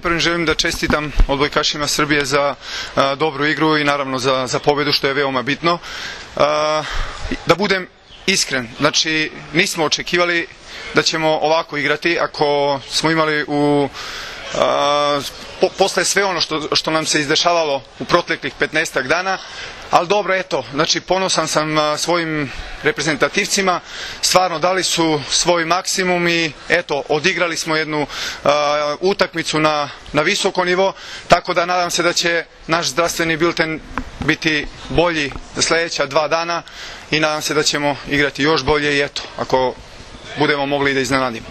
Prvo želim da čestitam odbojkašima Srbije za dobru igru i naravno za pobedu, što je veoma bitno. Da budem iskren, znači nismo očekivali da ćemo ovako igrati ako smo imali posle sve ono što nam se izdešavalo u proteklih 15 dana, ali dobro, eto, znači ponosan sam svojim reprezentativcima, stvarno dali su svoj maksimum i eto, odigrali smo jednu utakmicu na visoko nivo, tako da nadam se da će naš zdravstveni bilten biti bolji za sledeća 2 dana i nadam se da ćemo igrati još bolje i eto, ako budemo mogli da iznenadimo.